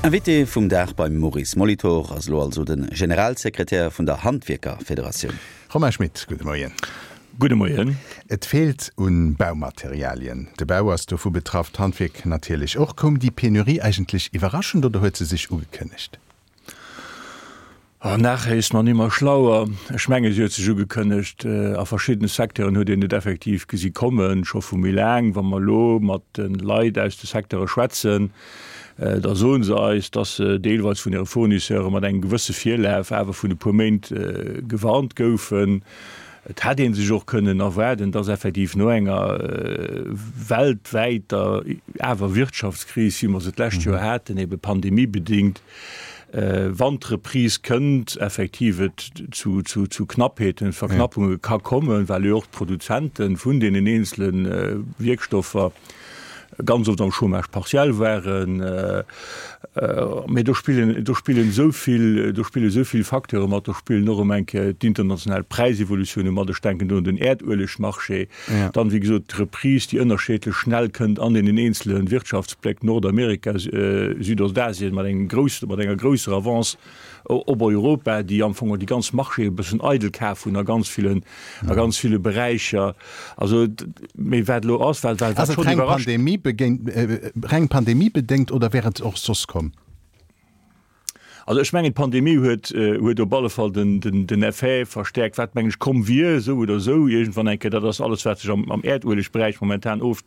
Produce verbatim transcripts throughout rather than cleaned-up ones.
Invité vum Dag beim Maurice Molitor ass elo also de Generalsekretär vun der Handwierkerfederatioun. Romain Schmit, gudde Moien. Gudde Moien. Et feelt un Baumaterialien. De Bau ass dovu betraff, d'Handwierk natierlech och. Koum déi Penurie eigentlech iwwerraschend oder huet se sech ugekënnegt? Oh, nachher ist man immer schlauer. Ech menge si huet sech ugekënnegt. A verschiddene Secteuren huet een et effektiv gesi kommen, scho vu méi laang. Wa mer elo mat de Leit aus de Secteure schwätzen, da soe se eis, dass se deelweis vun hire Fournisseure mat engem gewësse Virlaf awer vun e puer Méint gewarnt goufen. Et hätt ee sech och kënnen erwaarden, dass effektiv no enger weltwäiter awer Wirtschaftskris, wéi mer se d'lescht Joer haten, ebe pandemiebedingt, wann d'Reprise kënnt, effektiv et zu, zu, zu Knappheeten, Verknappunge ka kommen, well jo och d'Produzente vun deenen eenzele Wierkstoffer ganz oft am Chômage partiel waren. Mee do spillen, do spillen esou vill, do spille esou vill Facteure mat, do spillen och erëm eng Kéier d'international Präisevolutiounen mat, ech denken do un den Äerduelegmarché, dann, wéi gesot, d'Reprise, déi ënnerscheedlech schnell kënnt an deenen eenzele Wirtschaftsbléck, Nordamerika, Südostasien mat engem groussen, mat enger grousser Avance op Europa, déi am Fong déi ganz Marchéë e bëssen eidel kaf hunn a ganz villen, a ganz ville Beräicher. Also, mee wat elo ass, wat, wat Ass et schonn reng iwwerrascht. Pandemiebegéint, reng pandemiebedéngt oder wär et och soss komm? Also ech mengen, d'Pandemie huet, huet op alle Fall den, den, den Effet verstärkt, wat, mengen ech, komm wier, esou oder esou iergendwann eng Kéier. Dat ass alles, wat sech am, am Äerduelegberäich momentan of,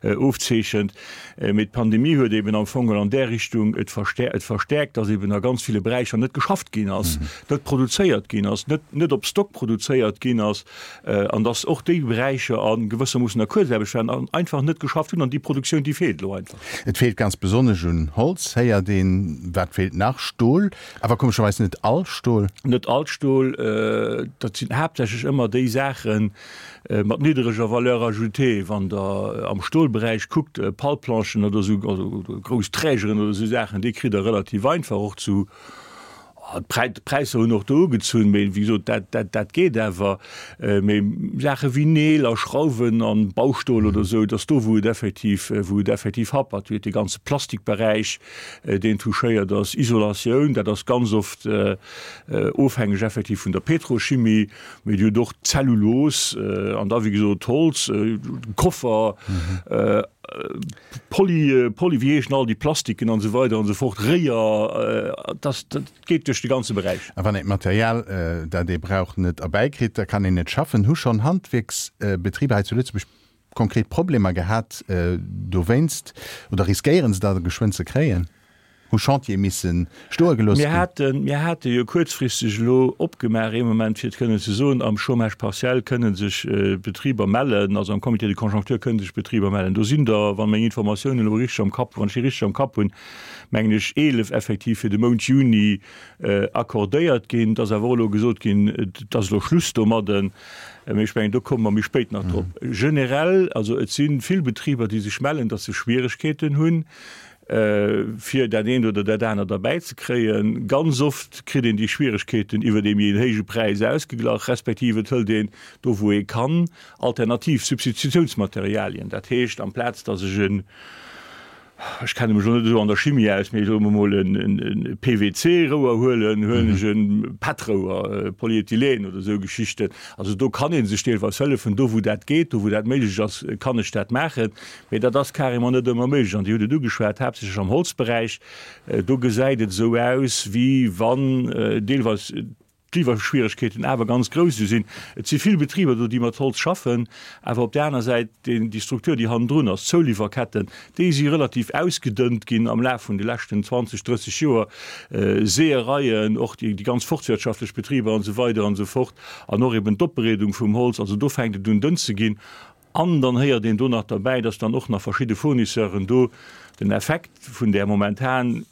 ofzeechent. Mee d'Pandemie huet eben am Fong an där Richtung et verstär, et verstärkt, dass eben a ganz ville Beräicher net geschafft ginn ass, net produzéiert ginn ass, net, net op Stock produzéiert ginn ass, an dass och déi Beräicher a gewëssermoossen a Kuerzaarbecht waren an einfach net geschafft hunn. An déi Produktioun, déi feelt elo einfach. Et feelt ganz besonnesch un Holz, héiert een. Wat feelt nach? Stol. Awer komescherweis net all Stol. Net all Stol. Dat sinn haaptsächlech ëmmer déi Saache mat niddereger Valeur ajoutée. Wann Der am Stolberäich kuckt, Palplanchen oder esou, also grouss Trägeren oder esou Saachen, déi kritt Der relativ einfach och zu, d'Präisser hunn och do ugezunn, mee wéi gesot, dat, dat, dat geet awer. Mee Saache wéi Neel a Schrauwen a Baustol oder esou, dat ass do, wou et effektiv, wou et effektiv happert. Dir hutt dee ganze Plastikberäich, deen touchéiert ass, Isolatioun, dat ass ganz oft ofhängeg effektiv vun der Petrochimie, mee Dir hutt och Zellulos an da wéi gesot Holz, Koffer, Poly, Poly, wéi heeschen all déi Plastiken an esou weider an esou fort, Réier, dat, dat geet duerch de ganze Beräich. A wann een d'Material, dat ee brauch, net erbäikritt, da kann een net schaffen. Hu schonn Handwierksbetriber hei zu Lëtzebuerg konkret Problemer gehat dowéinst oder riskéieren se der geschwënn ze kréien? Hu Chantiere misse stoe gelooss Mir ginn? haten, mir hate jo kuerzfristeg elo opgemaach ee Moment, fir et kënnen ze soen, am Chômage partiel kënne sech Betriber mellen, also am Comité de conjoncture kënne sech Betriber mellen. Do sinn der, wann meng Informatiounen elo richteg am Kapp, wann ech déi richteg am Kapp hunn, mengen ech eelef effektiv fir de Mount Juni accordéiert ginn. Et ass awer och elo gesot ginn, et ass elo Schluss domadden. Mee ech mengen, do komme mer méi spéit nach drop. Generell, also et si vill Betriber, déi sech mellen, datt se Schwieregkeeten hunn, fir dat eent oder dat anert erbäi ze kréien. Ganz oft kritt een déi Schwieregkeeten iwwer ee méi en héije Präis ausgeglach, respektiv et hëlt een do wou ee kann alternativ Substitutiounsmaterialien. Dat heescht, amplaz datt ech en, ech kenne mech elo net esou an der Chimie aus, mee soe mer emol en P V C-Rouer huelen, huelen ech e PET-Rouer, Polyethylen oder esou Geschichten. Also do kann ee sech deelweis hëllefen, do wou dat geet, do wou dat méiglech ass, kann ech dat maachen. Mee dat ass carrément net ëmmer méiglech. An Dir hutt et ugeschwat, haaptsächlech am Holzberäich, do gesäit et esou aus, wéi wann deelweis d'Liwwerschwieregkeeten awer ganz grouss sinn. Et si vill Betriber do, déi mat Holz schaffen, awer op där aner Säit déi Struktur, déi hannendrun ass, d'Zouliwwerketten, déi si relativ ausgedënnt ginn am Laf vun de leschten zwanzeg, drësseg Joer, Seeëreien, och déi ganz forstwirtschaftlech Betriber an esou weider an esou fort, an och eben d'Opbereedung vum Holz. Also do fänkt et un dënn ze ginn. An dann héiert een do nach derbäi, dass dann och nach verschidde Fournisseuren do den Effekt vun där momentan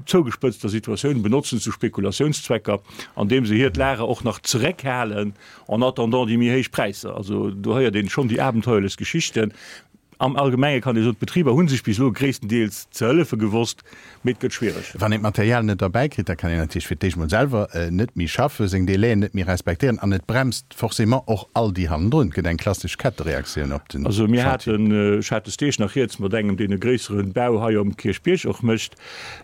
zougespëtzter Situatioun benotzen zu Spekulationszwecker, andeem se hiert Lager och nach zeréckhalen en attendant déi méi héich Präisser. Also do héiert een schonn déi abenteuerlechst Geschichten. Am Allgemenge kann ee soen, d'Betriber hu sech bis elo gréisstendeels ze hëllefe gewosst, mee et gëtt schwiereg. Wann een d'Material net erbäi kritt, da kann een natierlech fir d'éischt mol selwer net méi schaffen, seng Délaiën net méi respektéieren an et bremst forcément och all déi hannendrun. Et gëtt eng klassesch Kettereaktioun op den Also mir Chantier. haten, ech hat des Deeg nach rieds mat engem, deen e gréissere Bau hei um Kierchbierg och mécht,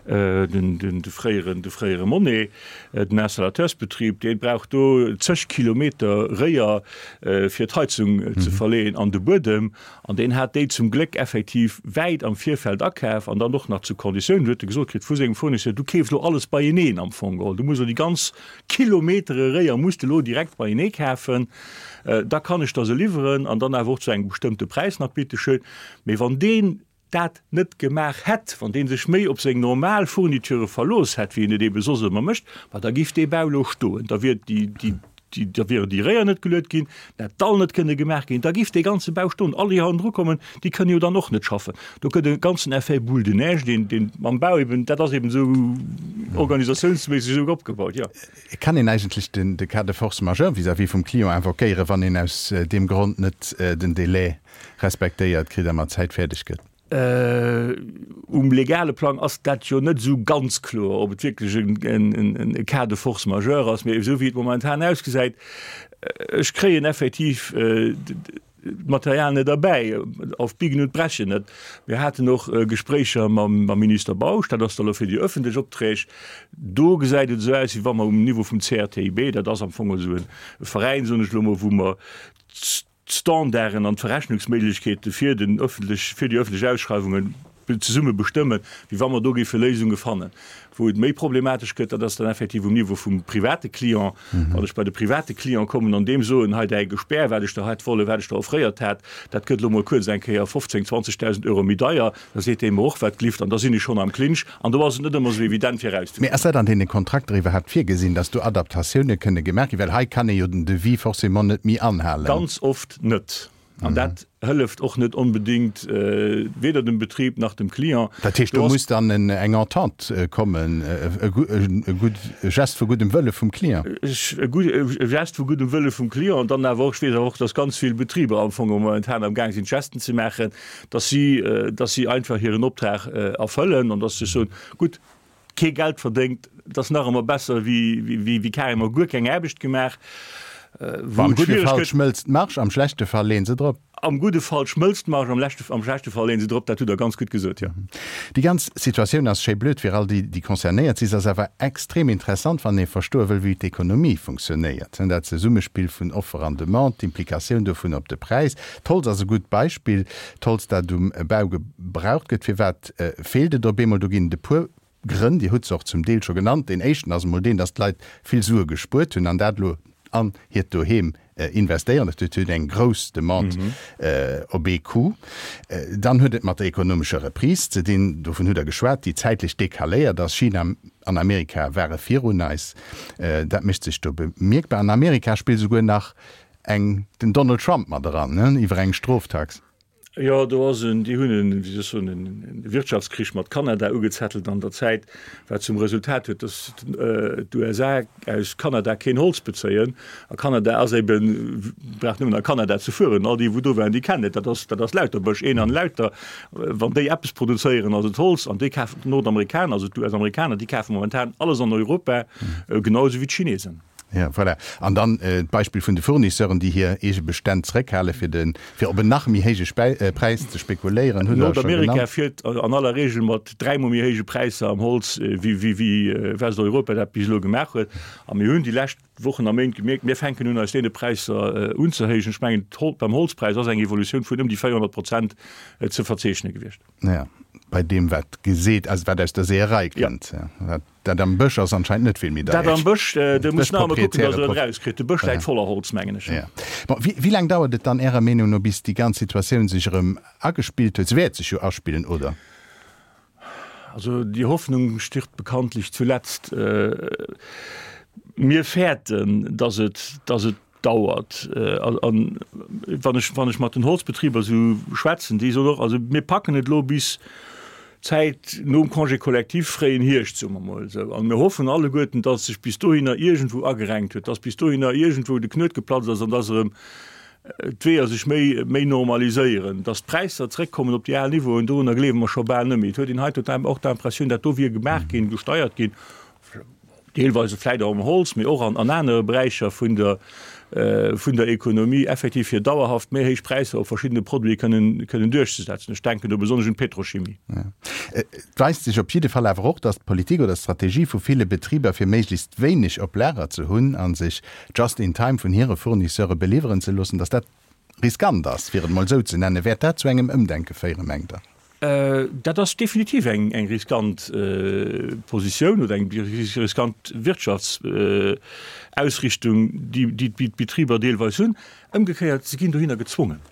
den, den, de fréieren, de fréiere Monet, den Installateursbetrib, dee brauch do zeg Kilometer Réier, fir d'Heizung ze verleeën an de Buedem. An deen hat déi zum Gléck effektiv wäit am Virfeld akaf an dann och nach zu Konditiounen, huet e gesot kritt vu sengem Fournisseur, du keefs elo alles beieneen am Fong geholl, du muss elo déi ganz Kilometere Réier muss de elo direkt beienee kafen, da kann ech der se liwweren an dann awer och zu engem bestëmmte Präis nach, bitteschön. Mee wann deen dat net gemaach hätt, wann dee sech méi op seng normal Fourniture verlooss hätt, wéi en et eebe soss ëmmer mécht, ma da giff dee Bau elo stoen, da wier déi, déi, déi, da wieren déi Réier net geluet ginn, dat Dall net kënne gemaach ginn, da giff dee ganze Bau stoen. All déi hannendru kommen, déi kënne jo dann och net schaffen. Do gëtt e ganzen Effet boule de neige, deen, deen am Bau eben, dat ass eben esou organisatiounsméisseg esou opgebaut, jo. Et kann een eigentlech den, de Cas de force majeure vis-à-vis vum Client invoquéieren, wann een aus deem Grond net den Délai respektéiert kritt a mat Zäit fäerdeg gëtt. Um legale Plang ass dat jo net esou ganz kloer, ob et wierklech e Cas de force majeure ass. Mee esou wéi et momentan ausgesäit, ech kréien effektiv d'Material net erbäi, auf Biegen und Brechen net. Mir haten och Gespréicher mam Minister Bausch, dat ass da elo fir déi öffentlech Opträg. Do gesäit et esou aus, wéi wa mer um Niveau vum C R T I B, dat ass am Fong esou e Veräin, soen ech elo mol, wou mer d'Standarden an d'Verrechnungsméiglechkeete fir den öffentlech, fir déi öffentlech Ausschreiwungen zesumme bestëmmen, wéi wa mer do géife Léisunge fannen. Wou et méi problematesch gëtt, dat ass dann effektiv um Niveau vum private Client. Wann ech bei de private Client kommen an deem soen, hei däi Gespär, wat ech der hätt wollen, wat ech der offréiert hat, dat gëtt elo mol kuerz eng Kéier fofzéng, zwanzegdausend Euro méi deier, da seet dee mer och, wat glift, an da sinn ech schonn am Clinch. An do ass et net ëmmer esou evident fir erauszekommen. Mee ass dat an deene Kontrakter iwwerhaapt virgesinn, dass do Adaptatioune kënne gemaach ginn? Well hei kann ee jo den Devis forcément net méi anhalen. Ganz oft net. An dat hëlleft och net onbedéngt weder dem Betrib nach dem Client. Dat heescht, do muss dann eng Entente kommen, e gutt Geste vu guddem Wëlle vum Client. E Geste vu guddem Wëlle vum Client an dann awer och, ech weess awer och, dass ganz vill Betriber am Fong momentan am Gaang sinn, Gesten ze maachen, dass si, dass si einfach hiren Optrag erfëllen an dass se soen, gutt, kee Geld verdéngt, dat ass nach ëmmer besser wéi carrément guer keng Aarbecht gemaach. Wou am gudde Fall schmëlzt d'Marge, am schlechte Fall leeën se drop. Am gudde Fall schmëlzt d'Marge, am leschte, am schlechte Fall leeën se drop, dat hutt Der ganz gutt gesot, jo. Déi ganz Situatioun ass schéi blöd fir all déi, déi concernéiert sinn. Se ass awer extrem interessant, wann ee verstoe wëll, wéi d'Ekonomie funktionéiert. Dat Zesummespill vun Offer an Demande, d'Implikatioun dovun op de Präis. D'Holz ass e gutt Beispill. D'Holz, dat um Bau gebraucht gëtt, firwat feelt et op eemol? Do ginn et e puer Grënn, Dir hutt se och zum Deel scho genannt. Deen éischten ass emol deen, datt d'Leit vill Sue gespuert hunn an dat elo an hiert Doheem investéieren. Dat huet eng grouss Demande op ee Coup. Dann huet et mat der ekonomescher Reprise ze dinn, dovun hutt Der geschwat, déi zäitlech decaléiert ass. China an Amerika ware virun eis. Dat mécht sech do bemierkbar. An Amerika spillt esouguer nach eng den Donald Trump mat eran, iwwer eng Stroftax. Jo, do ass en, déi hunn en, wéi soll ech soen, en Wirtschaftskrich mat Kanada ugezettelt an der Zäit, wat zum Resultat huet, datt d'U S A aus Kanada keen Holz bezéien. A Kanada ass eben, brauch nëmmen a Kanada ze fueren, all déi wou do waren, déi kennen et, dat ass, dat ass lauter Bësch, een an lauter. Wann déi eppes produzéieren, ass et Holz, an déi kafen, d'Nordamerikaner, also d'U S-Amerikaner, déi kafe momentan alles an Europa, genau esou wéi d'Chinesen. Ja, voilà. An dann d'Beispill vun de Fournisseuren, déi hir eege Bestänn zeréckhale fir de, fir op en nach méi héije Präis ze spekuléieren, hutt Der scho genannt. Nordamerika fiert an aller Regel mat dräimol méi héije Präisser am Holz, wéi, wéi, wéi Westeuropa dat bis elo gemaach huet. A mir hunn déi lescht Wochen a Méint gemierkt, mir fänken un eis deene Präisser unzehéijen. Ech mengen, beim Holzpräis ass eng Evolutioun vun ëm déi véierhonnert Prozent ze verzeechne gewiescht. Ja, bei deem wat geseet, also wat aus der Seeërei kënnt. Ja. Dat am Bësch ass anscheinend net vill méi deier. Dat am Bësch, do muss nach emol kucken, datt en et erauskritt. De Bësch läit voller Holz, mengen ech. Ja. Bon, wéi, wéi laang dauert et dann Ärer Meenung no, bis déi ganz Situatioun sech erëm agespillt huet? Se wäert sech jo aspillen, oder? Also die Hoffnung stirbt bekanntlich zuletzt. Mir fäerten, datt et, datt et dauert. An wann ech, wann ech mat den Holzbetriber esou schwätzen, déi soen och, also mir packen et elo bis d'Zäit nom Congé collectif, fréien Hierscht, soe mer emol esou. An mir hoffen alleguerten, datt sech bis dohinner iergendwou agerenkt huet, datt bis dohinner iergendwou de Knuet geplatzt ass an datt erëm d'Weeër sech méi, méi normaliséieren, dass d'Präisser zréckkommen op déi al Niveauen, dorunner gleewe mer scho bal net méi. Et huet een hei total och d'Impressioun, dat do wier gemaach ginn, gesteiert ginn, deelweise vläicht och am Holz, mee och an, an anere Beräicher vun der, vun der Ekonomie, effektiv fir dauerhaft méi héich Präisser op verschiddene Produite kënnen, kënnen duerchzesetzen. Ech denken do besonnesch un d'Petrochimie. Et weist sech op jidde Fall awer och, dass d'Politik oder d'Strategie vu ville Betriber, fir méiglechst wéineg op Lager ze hunn a sech just in time vun hire Fournisseure beliwweren ze loossen, dass dat riskant ass, fir et mol esou ze nennen. Wäert dat zu engem Ëmdenke féieren, mengt Der? Dat ass definitiv eng eng riskant Positioun oder eng riskant Wirtschaftsausrichtung, déi déi d'Betriber deelweis hunn. Ëmgekéiert, se ginn dohinner gezwongen.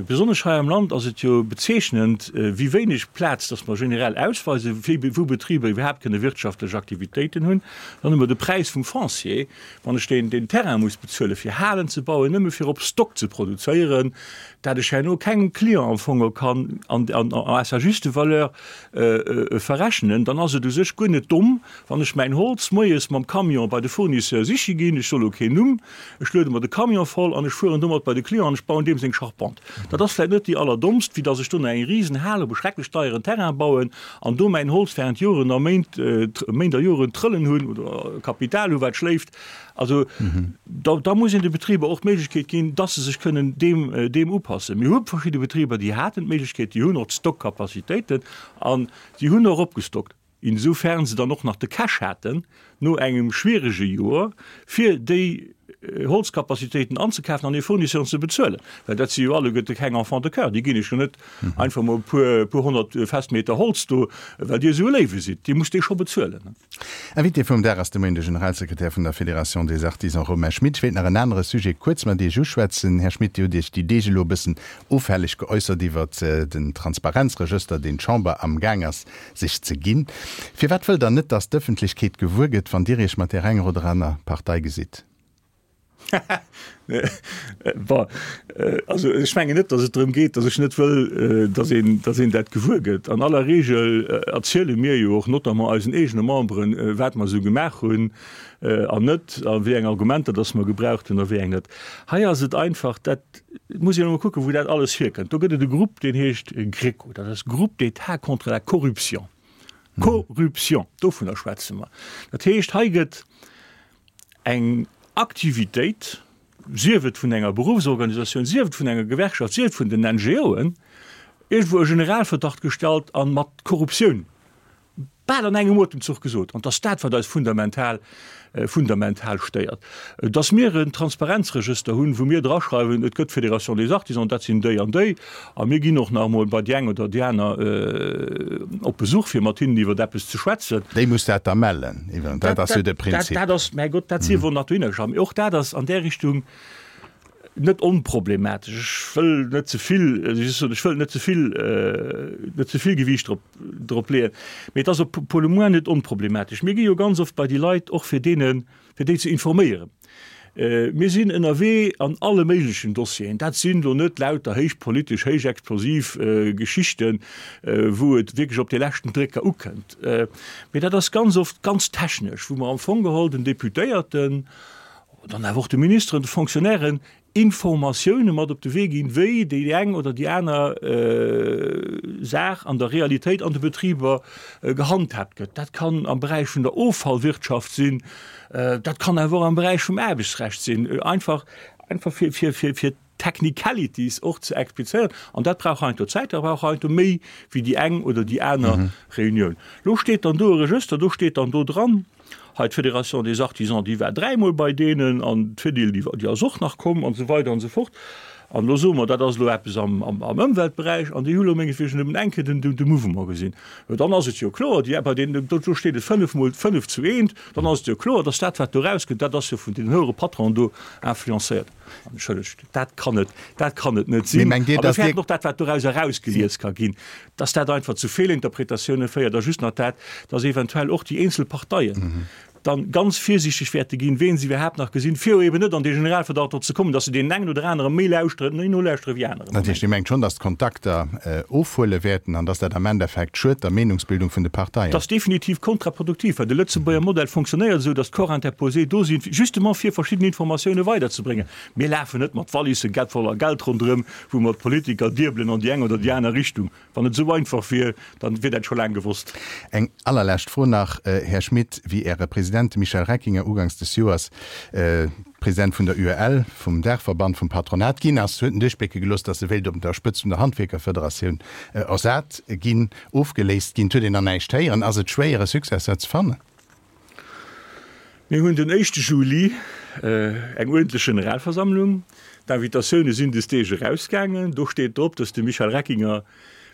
Besonnesch hei am Land ass et jo bezeechnend, wéi wéineg Plaz dass mer generell ausweisen, wou Betriber iwwerhaapt kënne wirtschaftlech Aktivitéiten hunn. Dann hu mer de Präis vum Foncier, wann ech deen deen Terrain muss bezuelen, fir Halen ze bauen, nëmme fir op Stock ze produzéieren, dat ech herno kengem Client am Fong kann an à sa juste valeur verrechnen, dann ass et u sech guer net domm, wann ech mäin Holz moies mam Camion bei de Fournisseur siche ginn, ech soe lo keen Numm, ech luede mer de Camion voll an ech fueren domat bei de Client an ech bauen deem seng Charpente. Dat ass vläicht net déi allerdommst, wéi datt ech do nach eng Risenhal op e schrecklech deieren Terrain bauen an do mäin Holz während Joren a Méint, Méint a Joren trëllen hunn oder Kapital hu wat schléift. Also da, da muss een de Betriber och d'Méiglechkeet ginn, dass se sech kënnen deem, deem upassen. Mir hu verschidde Betriber, déi haten d'Méiglechkeet, déi hunn och d'Stockcapacitéiten an déi hunn och opgestockt, insoufern se dann och nach de Cash haten no engem schwierege Joer, fir déi Holzcapacitéiten anzekafen an hir Fournisseuren ze bezuelen. Well dat si jo alleguerte keng Enfants de chœur, déi ginn iech jo net einfach mol e puer, puer honnert Festmeter Holz do, well Dir esou e Léiwe sidd. Dir musst déi scho bezuelen. Invité vum Dag ass de Moien de Generalsekretär vun der Fédération des Artisans Romain Schmit. Ech wéilt nach en anere Sujet kuerz mat Iech uschwätzen. Här Schmit, Dir hutt Iech déi Deeg elo e bëssen offälleg geäussert iwwert den Transparenzregëster, deen d'Chamber am Gaang ass sech ze ginn. Firwat wëllt Der net, datt d'Ëffentlechkeet gewuer gëtt, wann Dir Iech mat där enger oder aner Partei gesitt? Bon, also ech mengen net, datt et drëm geet, datt ech net wëll, datt een, datt een dat gewuer gëtt. An aller Regel erziele mir jo och notamment eisen eegene Memberen, wat mer esou gemaach hunn an net, a wéi eng Argumenter datt mer gebraucht hunn a wéi eng net. Hei ass et einfach, dat muss een emol kucken, wou dat alles hierkënnt. Do gëtt et e Grupp, deen heescht GRECO, dat ass Groupe d'État contre la corruption. Corruption, dovunner schwätze mer. Dat heescht, hei gëtt eng Aktivitéit, sief et vun enger Beruffsorganisatioun, sief et vun enger Gewerkschaft, sief et vun den N G Oen, iergendwou e Generalverdacht gestallt a mat Korruptioun bal an engem Otemzuch gesot. An et ass dat, wat eis fundamental, fundamental stéiert. Dass mir en Transparenzregëster hunn, wou mir draschreiwen, et gëtt d'Fédération des Artisans, dat sinn déi an déi, a mir ginn och nach emol bei déi eng oder déi aner op Besuch, fir mat hinnen iwwer eppes ze schwätzen. Déi muss dat da mellen, iwwer, dat ass jo de Prinzip. Dat ass, mäi Gott, dat sief och nach dohinner geschriwwen. Mee och dat ass an där Richtung net onproblematesch. Ech wëll net ze vill, ech wëll net ze vill, net ze vill Gewiicht drop, drop leeën, mee et ass op pour le moins net onproblematesch. Mir gi jo ganz oft bei déi Leit, och fir deenen, fir déi ze informéieren. Mir sinn ënnerwee an alle méiglechen Dossieren. Dat sinn elo net lauter héich politesch, héich explosiv Geschichten, wou et wierklech op de leschten Drécker ukënnt, mee dat ass ganz oft ganz technesch, wou mer am Fong geholl den Deputéierten, dann awer och de Ministeren, de Fonctionnairen Informatioune mat op de Wee ginn, wéi déi eng oder déi aner Saach an der Realitéit an de Betriber gehandhaabt gëtt. Dat kann am Beräich vun der Offallwirtschaft sinn, dat kann awer och am Beräich vum Aarbechtsrecht sinn, einfach, einfach fir, fir, fir, fir Technicalities och ze explizéieren. An dat brauch heiansdo Zäit, dat brauch heiansdo méi wéi déi eng oder déi aner Reunioun. Lo steet dann do e Regëster, do steet dann do dran, hei d'Fédération des Artisans, déi war dräimol bei deenen an d'Fedil, déi, déi ass och nach komm an esou weider an esou fort. An elo soe mer, dat ass elo eppes am, am, am Ëmweltberäich an déi hu elo mengetwegen nëmmen eng Kéier den, de Mouvement gesinn. Jo, dann ass et jo kloer, déi, bei deenen, do, do steet et fënnef mol fënnef zu eent, dann ass et jo kloer, dass dat, wat do erauskënnt, dat ass jo vun deenen höhere Patronen do influencéiert. Entschëllegt, dat kann et, dat kann et net Mee sinn. mengt Dir, A mir dass Dir. fäerten och dat, wat doraus erausgelies ka ginn, dass dat einfach zu Feelinterpretatioune féiert a just nach dat, dass eventuell och déi eenzel Parteien dann ganz virsiichteg wäerte ginn, ween se iwwerhaapt nach gesinn, fir eben net an dee Generalverdacht do ze kommen, dass se deenen engen oder anere méi lauschteren, méi nolauschtere wéi aneren. Dat heescht, Dir mengt schonn, dass d'Kontakter ofhuele wäerten an dass dat am Endeffekt schued der Meenungsbildung vun de Parteien? Dat ass definitiv kontraproduktiv, well de Lëtzebuerger Modell fonctionnéiert esou, dass d'Corps interposés do sinn, justement fir verschidden Informatioune weiderzebréngen. Mir lafen net mat Wallisse voller Geld ronderëm, wou mer d'Politiker diebelen an déi eng oder déi aner Richtung. Wann et esou einfach wier, dann wier dat scho laang gewosst. Eng allerlescht Fro nach, Här Schmit, Wéi Äre President, de Michel Reckinger, uganks des Joers President vun der U E L, vum Daachverband vum Patronat, ginn ass, huet en duerchblécke gelooss, datt e wéilt op der Spëtzt vun der Handwierkerfederatioun ersat ginn, ofgeléist ginn. Et huet een nach näischt héieren. Ass et schwéier, e Successeur ze fannen? Mir hunn den éischte Juli eng uerdentlech Generalversammlung. D'Invitatioune sinn des Deeg erausgaangen. Do steet drop, datt de Michel Reckinger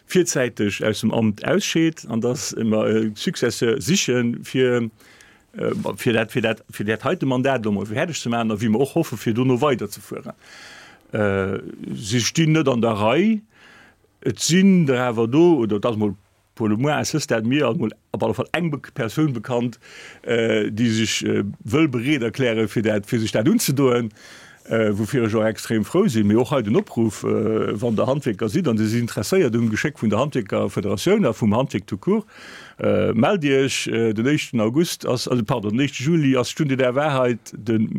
virzäiteg aus dem Amt ausscheet an datt mer e Successeur sichen, fir fir dat fir dat fir dat heite Mandat elo mol fäerdeg ze maachen a wéi mer och hoffen, fir dono weiderzefueren. Si stinn net an der Rei. Et sinn der awer do, oder et ass mol pour le moins à ce stade mir ass mol op alle Fall eng Persoun bekannt, déi sech wëll bereet erklären, fir dat, fir sech dat unzedoen, woufir ech och extrem frou sinn. Mee och hei den Opruff, Wann Der Handwierker sidd an Dir sidd interesséiert um Geschéck vun der Handwierkerfederatioun a vum Handwierk tout court, mellt Iech. Den éischten August ass, also pardon, den éischte Juli ass d'Stunde der Wahrheit, de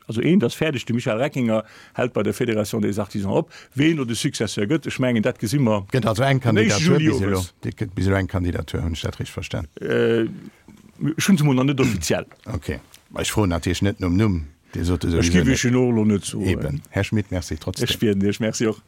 Also eent ass fäerdeg, de Michel Reckinger hält bei der Fédération des Artisans op. Ween elo de Successeur gëtt, ech mengen, dat gesi mer Gëtt also eng den éischte Kandidatur Juli bis elo? owes. Et gëtt bis elo eng Kandidatur, hunn ech dat richteg verstan? Ech hunn se emol nach net offiziell. Ok. Ma ech froen natierlech net nom Numm, Dir sot e Ech souwisou giff net. Iech en och elo net soen. Eben. Här Schmit, Merci trotzdem. Ech bieden Iech. Merci och.